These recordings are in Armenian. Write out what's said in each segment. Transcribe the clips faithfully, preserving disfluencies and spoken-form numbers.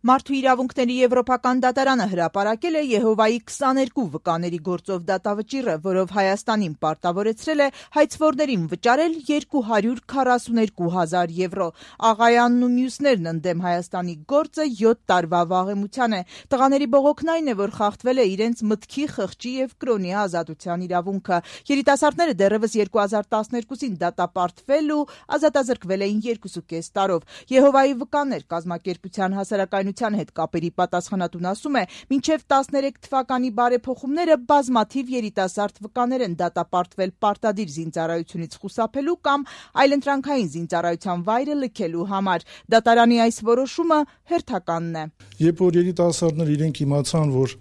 Մարդու իրավունքների եվրոպական դատարանը հրապարակել է Եհովայի քսաներկու վկաների գործով դատավճիռը, որով Հայաստանին պարտավորեցրել է հայցվորներին վճարել երկու հարյուր քառասուներկու հազար եվրո։ Աղայանն ու մյուսներն ընդդեմ Հայաստանի գործը յոթ տարվա վաղեմության է։ Տղաների բողոքն այն է, որ խախտվել է իրենց մտքի, խղճի եւ կրոնի ազատության իրավունքը։ Երիտասարդները դեռևս երկու հազար տասներկուսին դատապարտվել ու ազատազրկվել էին երկուսուկես տարով։ Եհովայի վկաներ կազմակերպության հասարակայնության հետ կապերի պատասխանատուն ասում է, մինչև տասներեք թվականի բարեփոխումները բազմաթիվ երիտասարդ վկաներ են դատապարտվել պարտադիր զինծառայությունից խուսափելու կամ այլընտրանքային զինծառայության վայրը լքելու համար։ Դատարանի այս որոշումը հերթականն է։ Երբ որ երիտասարդները իրենք իմացան, որ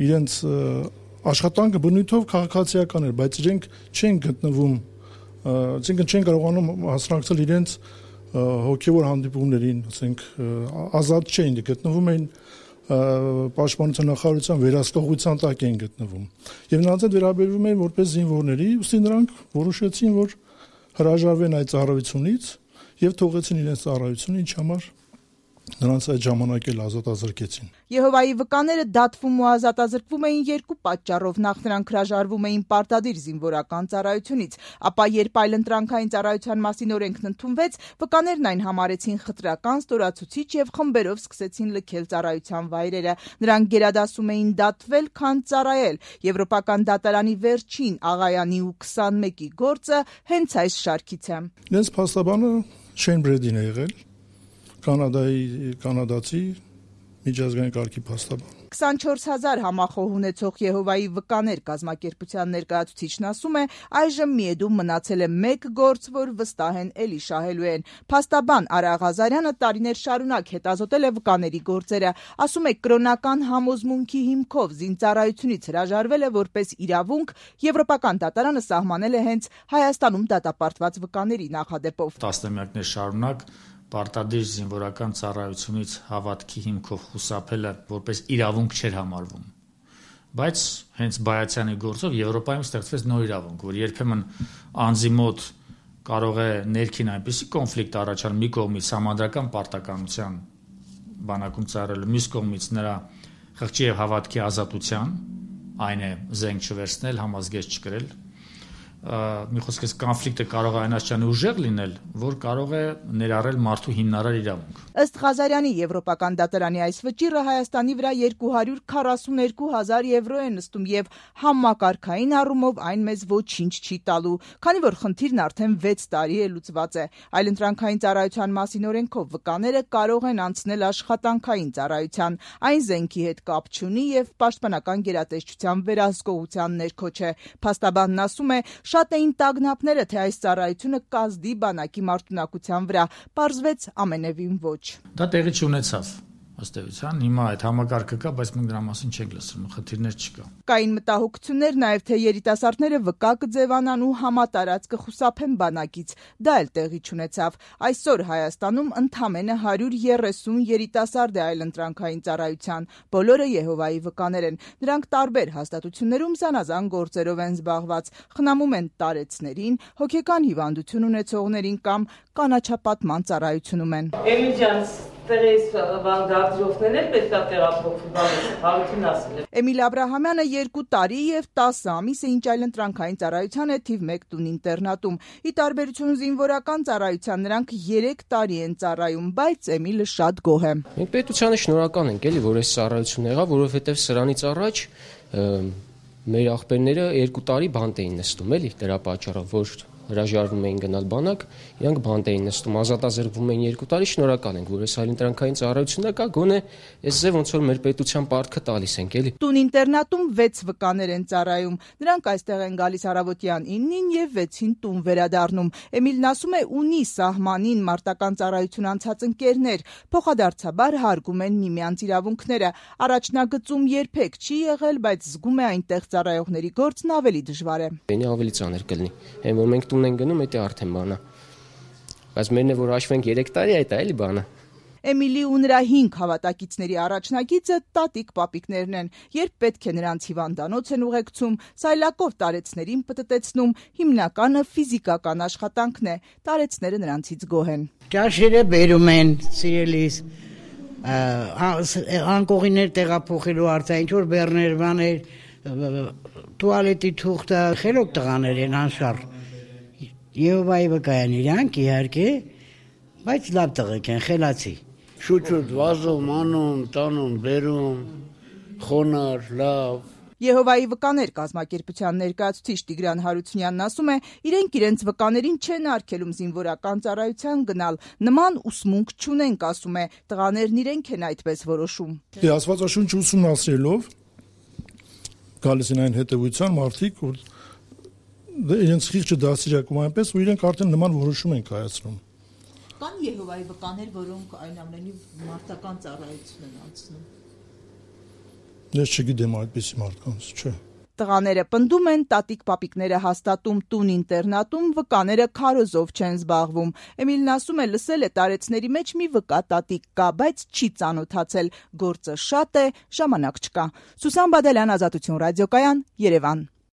իրենց աշխատանքը բնույթով քաղաքացիական էր, բայց իրենք չեն գտնվում, այսինքն չեն կարողանում հասցնել իրենց հոգևոր հանդիպումներին, ասենք, ազատ չէին, գտնվում էին պաշտպանության նախարարության վերահսկողության տակ էին գտնվում։ Եվ նրանց հետ վերաբերվում էին որպես զինվորների, ուստի նրանք որոշեցին, որ հրաժարվեն այդ ծառայությունից եւ թողեցին իրենց ծառայությունը, ինչ համար նրանց այդ ժամանակ էլ ազատազրկեցին։ Եհովայի վկաները դատվում ու ազատազրկվում էին երկու պատճառով. նախ նրանք հրաժարվում էին պարտադիր զինվորական ծառայությունից, ապա երբ այլընտրանքային ծառայության մասին օրենքն ընդունվեց, վկաներն այն համարեցին խտրական, ստորացուցիչ եւ խմբերով սկսեցին լքել ծառայության վայրերը։ Նրանք գերադասում էին դատվել, քան ծառայել։ Եվրոպական դատարանի վերջին Աղայանի ու քսանմեկի գործը հենց այս շարքից է։ Իրենց փաստաբանը Շեյն Բրեդին է եղել, Կանադայի կանադացի միջազգային կարգի փաստաբան։ քսանչորս հազար համախոհ ունեցող Եհովայի վկաներ կազմակերպության ներկայացուցիչն ասում է, այժմ միեդում մնացել է մեկ գործ, որ վստահ են էլի շահելու են։ Փաստաբան Արա Ղազարյանը տարիներ շարունակ հետազոտել է վկաների գործերը, ասում է, կրոնական համոզմունքի հիմքով զինծառայությունից հրաժարվել է որպես իրավունք, եվրոպական դատարանը սահմանել է հենց Հայաստանում դատապարտված վկաների նախադեպով։ Տասնամյակներ շարունակ պարտադիր զինվորական ծառայությունից հավատքի հիմքով խուսափելը որպես իրավունք չէր համարվում։ Բայց հենց Բայացյանի գործով Եվրոպայում ստեղծվեց նոր իրավունք, որ երբեմն անձի մոտ կարող է ներքին այնպիսի կոնֆլիկտ առաջանալ մի կողմից համանդրական պարտականության բանակում ծառայելու, մյուս կողմից նրա խղճի եւ հավատքի ազատության, այն է զենք չվերցնել, համազգեստ չկրել, մի խոսքից կոնֆլիկտը կարող է այնքան ուժեղ լինել, որ կարող է ներառել մարդու հիմնարար իրավունք։ Ըստ Ղազարյանի Եվրոպական դատարանի այս վճիռը Հայաստանի վրա երկու հարյուր քառասուներկու հազար եվրո է նստում եւ համակարգային առումով այն մեզ ոչինչ չի տալու, քանի որ խնդիրն արդեն վեց տարի է լուծված է։ Այլընտրանքային ծառայության մասին օրենքով վկաները կարող են անցնել աշխատանքային ծառայության, այն զենքի հետ կապ չունի եւ պաշտպանական գերատեսչության վերահսկողության ներքո չէ։ Փաստաբանն ասում է, շատ էին տագնապները, թե այս ծառայությունը կազդի բանակի մարտունակության վրա, պարզվեց ամենևին ոչ։ Դա տեղի չունեցավ, ըստ էության, հիմա այդ համակարգը կա, բայց մենք դրա մասին չենք լսում, խնդիրներ չկա։ Կային մտահոգություններ նաև, թե երիտասարդները վկա կձևանան ու համատարած կխուսափեն բանակից, դա էլ տեղի չունեցավ։ Այսօր Հայաստանում ընդամենը հարյուր երեսուն երիտասարդ է այլընտրանքային ծառայության, բոլորը Եհովայի վկաներ են։ Նրանք տարբեր հաստատություններում զանազան գործերով են զբաղված, խնամում են տարեցներին, հոգեկան հիվանդություն ունեցողներին կամ կանաչապատման ծառայությունում են։ Էմիլ Աբրահամյանը երկու տարի եւ տասը ամիս է ինչ այլընտրանքային ծառայության է թիվ մեկ տուն ինտերնատում։ Ի տարբերություն զինվորական ծառայության նրանք երեք տարի են ծառայում, բայց Էմիլը շատ գոհ է։ Մենք պետությանը շնորհակալ ենք, էլի, որ այս ծառայությունն եղավ, որովհետեւ սրանից առաջ մեր աղբերները երկու տարի բանտ էին նստում, էլի, դրա պատճառով, որ հրաժարվում էին գնալ բանակ, իրանք բանտ էին նստում, ազատազրկվում էին երկու տարի, շնորհակալ ենք, որ այս այլընտրանքային ծառայությունը կա, գոնե այս ձև ոնց որ մեր պետության պարտքը տալիս ենք, էլի։ Տուն ինտերնատում վեց վկաներ են ծառայում, նրանք այստեղ են գալիս առավոտյան իննին եւ վեցին տուն վերադառնում։ Էմիլն ասում է, ունի սահմանին մարտական ծառայություն անցած ընկերներ, փոխադարձաբար հարգում են միմյանց իրավունքները։ Առաջնագծում երբեք չի եղել, բայց զգում է այնտեղ ծառայողների գործն ավելի դժվար է։ Բենի ավելի ծանր կլինի, այն որ մենք տուն են գնում, դա արդեն բան է։ Բայց մերն է որ հաշվենք երեք տարի, այդ է էլի բանը։ Էմիլի ու նրա հինգ հավատակիցների առաջնագիծը տատիկ պապիկներն են, երբ պետք է նրանց հիվանդանոց են ուղեկցում, սայլակով տարեցներին պտտեցնում, հիմնականը ֆիզիկական աշխատանքն է, տարեցները նրանցից գոհ են։ Ճաշերը բերում են, սիրելիս, անկողիներ տեղափոխելու արծա, ինչ որ բեռներ, բաներ, տուալետի թուղթը, խելոք տղաներ են անշարժ։ Եհովայի վկայան իրանք իհարկե, բայց լավ տղեկ են, խելացի։ Շուտ-շուտ վազում, անում, տանում, բերում, խոնար, լավ։ Եհովայի վկաներ կազմակերպության ներկայացուցիչ Տիգրան Հարությունյանն ասում է, իրենք իրենց վկաներին չեն արգելում զինվորական ծառայության գնալ, նման ուսմունք չունենք, ասում է, տղաներն իրենք են այդպես որոշում։ Դե Աստվածաշունչ ուսումնասիրելով գալիս են այն հետևության մարդիկ, որ իրենց խիղճը դաստիարակում այնպես, ու իրենք արդեն նման որոշում են կայացնում։ Կան Եհովայի վկաներ, որոնք այնուամենայնիվ մարտական ծառայություն են անցնում։ Ես չգիտեմ այդպիսի մարդկանց, չէ։ Տղաները պնդում են, տատիկ-պապիկները հաստատում տուն-ինտերնատում, վկաները քարոզով չեն զբաղվում։ Էմիլն ասում է, լսել է տարեցների մեջ մի վկա տատիկ կա, բայց չի ծանոթացել, գործը շատ է, ժամանակ չկա։ Սուսան Բադալյան, Ազատություն ռադիոկայան, Երևան։